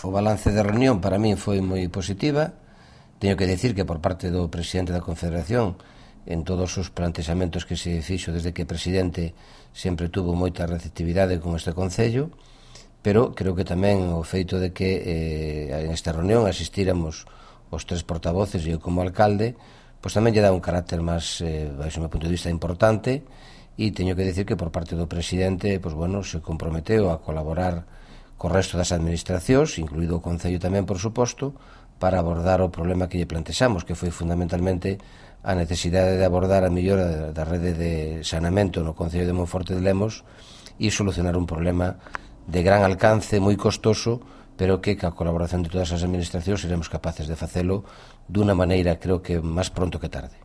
O balance da reunión para min foi moi positiva. Teño que dicir que por parte do presidente da Confederación, en todos os plantexamentos que se fixo desde que presidente, sempre tuvo moita receptividade con este Concello, pero creo que tamén o feito de que en esta reunión asistíramos os tres portavoces e eu como alcalde, pois tamén lle dá un carácter máis, baixo o meu punto de vista, importante, e teño que dicir que por parte do presidente, pois bueno, se comprometeu a colaborar co resto das administracións, incluído o Concello tamén, por suposto, para abordar o problema que lle plantexamos, que foi fundamentalmente a necesidade de abordar a mellora da rede de saneamento no Concello de Monforte de Lemos e solucionar un problema de gran alcance, moi costoso, pero que ca colaboración de todas as administracións seremos capaces de facelo dunha maneira, creo que máis pronto que tarde.